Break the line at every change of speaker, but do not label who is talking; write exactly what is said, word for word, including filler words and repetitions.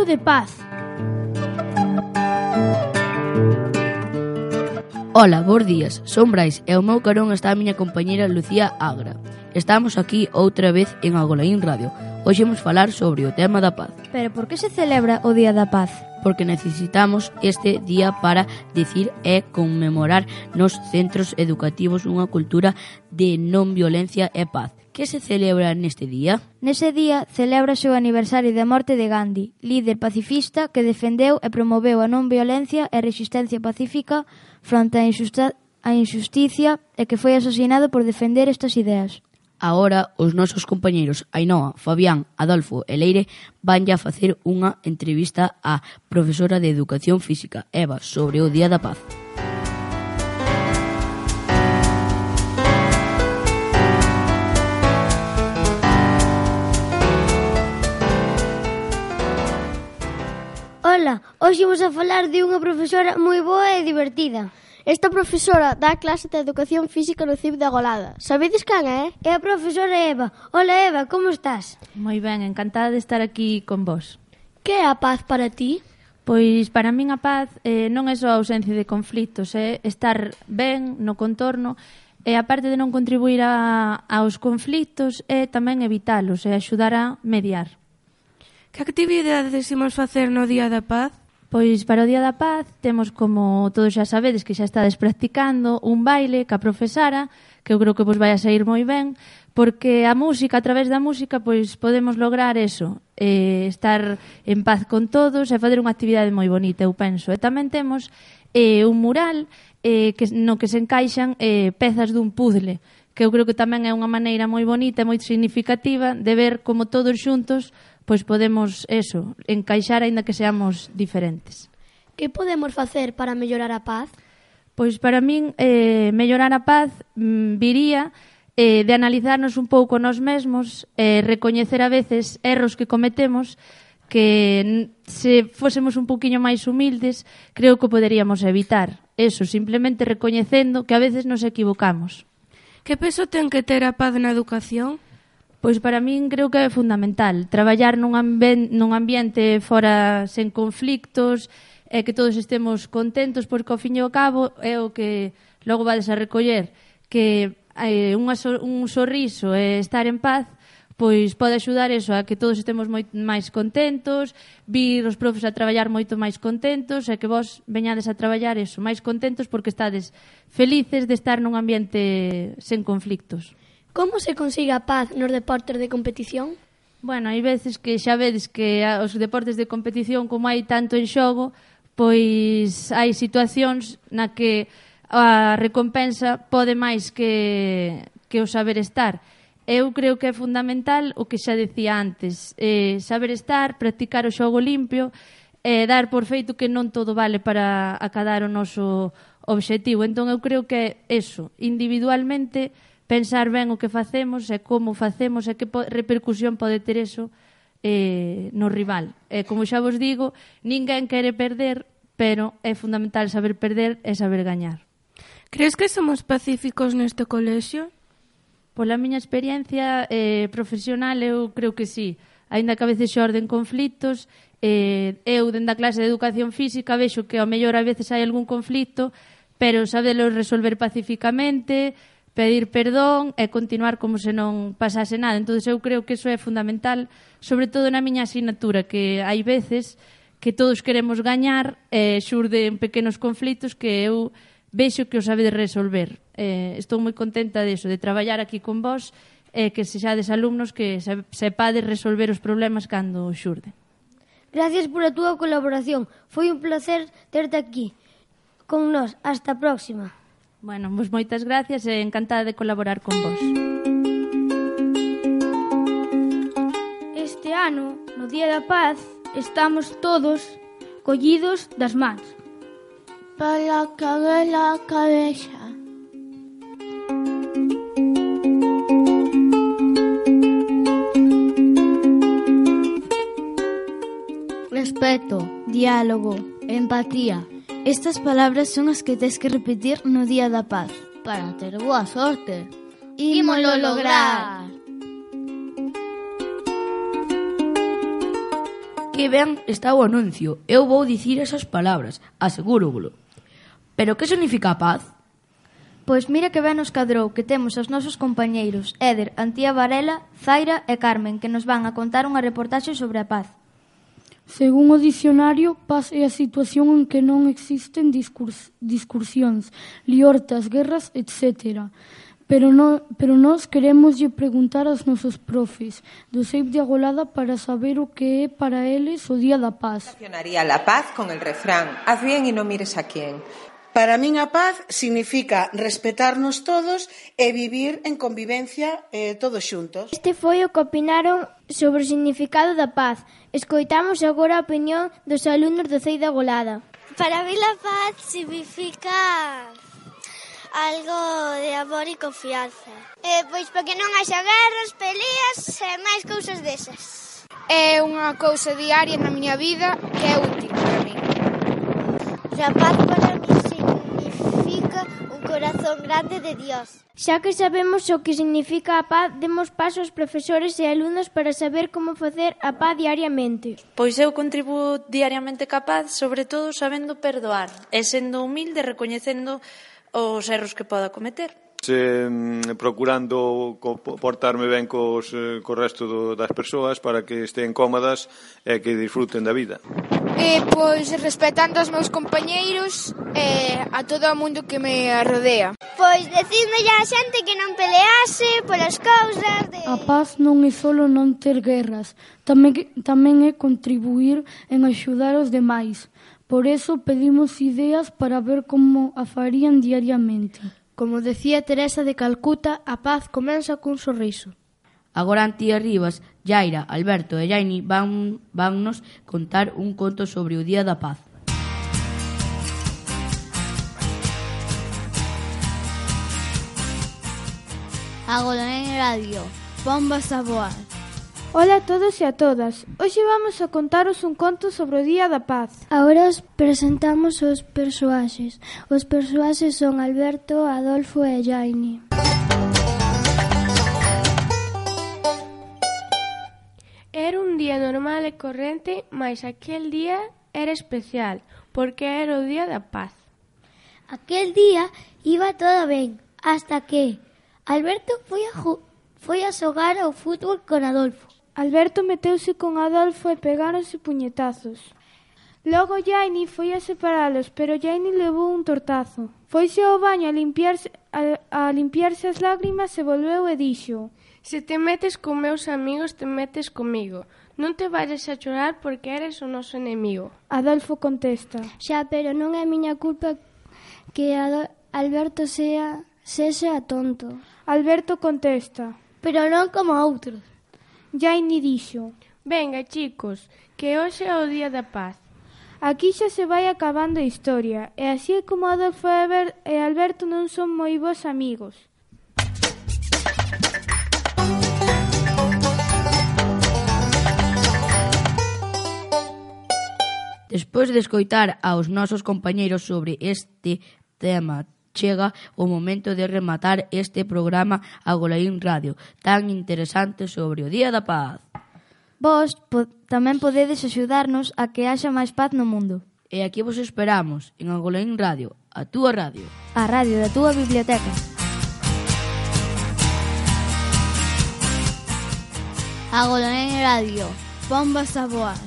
Pazo de Paz.
Ola, bons días, son Brais e ao meu carón está a miña compañeira Lucía Agra. Estamos aquí outra vez en Agolaín Radio. Hoxe vamos falar sobre o tema da paz.
Pero por que se celebra o Día da Paz?
Porque necesitamos este día para dicir e conmemorar nos centros educativos unha cultura de non violencia e paz. Que se celebra neste día?
Nese día celébrase o aniversario da morte de Gandhi, líder pacifista que defendeu e promoveu a non violencia e resistencia pacífica fronte á injusta- á injusticia e que foi asesinado por defender estas ideas.
Agora, os nosos compañeiros Ainhoa, Fabián, Adolfo e Leire vanlle a facer unha entrevista á profesora de Educación Física, Eva, sobre o Día da Paz.
Ola, hoxe vamos a falar de unha profesora moi boa e divertida. Esta profesora dá clase de Educación Física no C I B de Agolada. Sabedes quen é? É a profesora Eva. Ola, Eva, como estás?
Moi ben, encantada de estar aquí con vos.
Que é a paz para ti?
Pois para min a paz eh, non é só a ausencia de conflitos, é estar ben no contorno e aparte de non contribuir a, aos conflitos é tamén evitalos e axudar a mediar.
Que actividades imos facer no Día da Paz?
Pois para o Día da Paz temos, como todos xa sabedes que xa estades practicando, un baile ca profesara, que eu creo que vos vai a sair moi ben, porque a música, a través da música, pois podemos lograr eso, eh, estar en paz con todos e fazer unha actividade moi bonita, eu penso. E tamén temos eh, un mural eh, que, no que se encaixan eh, pezas dun puzzle, que eu creo que tamén é unha maneira moi bonita e moi significativa de ver como todos xuntos pois podemos, eso, encaixar aínda que seamos diferentes.
Que podemos facer para mellorar a paz?
Pois para min, eh, mellorar a paz mm, viría eh, de analizarnos un pouco nós mesmos, eh, recoñecer a veces erros que cometemos, que se fósemos un poquinho máis humildes, creo que poderíamos evitar. Eso, simplemente recoñecendo que a veces nos equivocamos.
Que peso ten que ter a paz na educación?
Pois para min creo que é fundamental traballar nun, amben- nun ambiente fora sen conflictos e que todos estemos contentos, porque ao fin e ao cabo é o que logo vades a recoller, que eh, unha so- un sorriso e estar en paz pois pode axudar eso a que todos estemos moi máis contentos, vir os profes a traballar moito máis contentos e que vos veñades a traballar eso, máis contentos porque estades felices de estar nun ambiente sen conflictos.
Como se consigue a paz nos deportes de competición?
Bueno, hai veces que xa vedes que os deportes de competición, como hai tanto en xogo, pois hai situacións na que a recompensa pode máis que, que o saber estar. Eu creo que é fundamental o que xa decía antes, eh, saber estar, practicar o xogo limpio, e eh, dar por feito que non todo vale para acadar o noso obxectivo. Entón eu creo que é eso, individualmente, pensar ben o que facemos e como facemos e que po- repercusión pode ter eso eh, no rival. E como xa vos digo, ninguén quere perder, pero é fundamental saber perder e saber gañar.
Crees que somos pacíficos neste colexio?
Pola miña experiencia eh, profesional, eu creo que sí. Aínda que a veces xorden conflitos, eh, eu, dende a clase de Educación Física, vexo que ao mellor a veces hai algún conflito, pero sabelo resolver pacíficamente, pedir perdón e continuar como se non pasase nada. Entón, eu creo que iso é fundamental, sobre todo na miña asignatura, que hai veces que todos queremos gañar e xurden pequenos conflitos que eu vexo que os sabedes resolver. Eh, estou moi contenta deso, de traballar aquí con vos e que sexades alumnos que sepades resolver os problemas cando xurden.
Gracias por a túa colaboración. Foi un placer terte aquí con nós. Hasta a próxima.
Bueno, pois moitas gracias e encantada de colaborar con vos.
Este ano, no Día da Paz, estamos todos collidos das mans.
Para cagar la cabeza.
Respeto, diálogo, empatía. Estas palabras son as que tes que repetir no Día da Paz para ter boa sorte. Ímolo lograr.
Que ben está o anuncio. Eu vou dicir esas palabras, asegúrovolo. Pero que significa a paz?
Pois mira que ben nos cadrou que temos os nosos compañeiros Éder, Antía Varela, Zaira e Carmen, que nos van a contar unha reportaxe sobre a paz.
Según o dicionario, paz é a situación en que non existen discurs, discursións, liortas, guerras, etcétera. Pero, no, pero nós queremos lle preguntar aos nosos profes do S E I P de Agolada para saber o que é para eles o Día da Paz.
Relacionaría la paz con el refrán, haz bien y no mires a quién.
Para min a paz significa respetarnos todos e vivir en convivencia eh, todos xuntos.
Este foi o que opinaron sobre o significado da paz. Escoitamos agora a opinión dos alumnos do C E I de Agolada.
Para mí la paz significa algo de amor e confianza. Eh, pois porque non haxa guerras, peleas e máis cousas desas.
É unha cousa diaria na miña vida que é útil para mí.
La paz para mí significa un corazón grande de Dios.
Xa que sabemos o que significa a paz, demos paso aos profesores e alumnos para saber como facer a paz diariamente.
Pois eu contribuo diariamente ca paz, sobre todo sabendo perdoar e sendo humilde, recoñecendo os erros que poda cometer.
Se, procurando portarme ben cos, co resto do, das persoas para que estén cómodas e que disfruten da vida.
E, pois, respetando os meus compañeiros e a todo o mundo que me rodea.
Pois, decidme a xente que non pelease polas cousas de...
A paz non é solo non ter guerras, tamén, tamén é contribuir en axudar os demais. Por eso pedimos ideas para ver como a farían diariamente.
Como decía Teresa de Calcuta, a paz comeza cun sorriso.
Agora Antía Rivas, Yaira, Alberto e Jaini van, vannos contar un conto sobre o Día da Paz.
Agora en radio, bombas a voar.
Ola a todos e a todas. Hoxe vamos a contaros un conto sobre o Día da Paz.
Agora os presentamos os persoaxes. Os persoaxes son Alberto, Adolfo e Jaini.
Era un día normal e corrente, mais aquel día era especial, porque era o Día da Paz.
Aquel día iba todo ben, hasta que Alberto foi a, ju- foi a xogar ao fútbol con Adolfo.
Alberto meteuse con Adolfo e pegáronse puñetazos. Logo Jaini foi a separalos, pero Jaini levou un tortazo. Foise ao baño a limpiarse, a, a limpiarse as lágrimas e volveu e dixo:
Se te metes con meus amigos, te metes comigo. Non te vayas a chorar porque eres o noso enemigo.
Adolfo contesta:
Xa, pero non é miña culpa que Adol- Alberto sea, sexa tonto.
Alberto contesta:
Pero non como outros.
Jaini dixo:
Venga, chicos, que hoxe é o Día da Paz.
Aquí xa se vai acabando a historia, e así é como Adolfo e Alberto non son moi bons amigos.
Despois de escoitar aos nosos compañeiros sobre este tema, chega o momento de rematar este programa Agolaín Radio, tan interesante sobre o Día da Paz.
Vos po- tamén podedes axudarnos a que haxa máis paz no mundo.
E aquí vos esperamos, en Agolaín Radio, a túa radio.
A radio da túa biblioteca.
Agora en radio, bombas a voar.